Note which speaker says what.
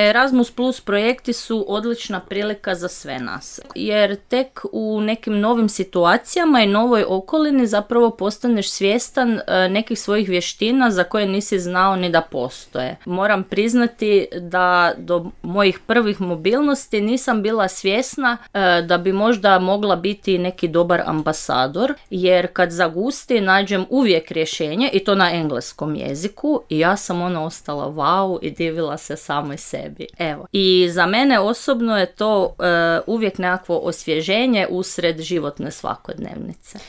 Speaker 1: Erasmus Plus projekti su odlična prilika za sve nas, jer tek u nekim novim situacijama i novoj okolini zapravo postaneš svjestan nekih svojih vještina za koje nisi znao ni da postoje. Moram priznati da do mojih prvih mobilnosti nisam bila svjesna da bi možda mogla biti neki dobar ambasador, jer kad zagusti nađem uvijek rješenje i to na engleskom jeziku i ja sam ostala wow i divila se samoj sebi. Evo. I za mene osobno je to uvijek nekakvo osvježenje usred životne svakodnevnice.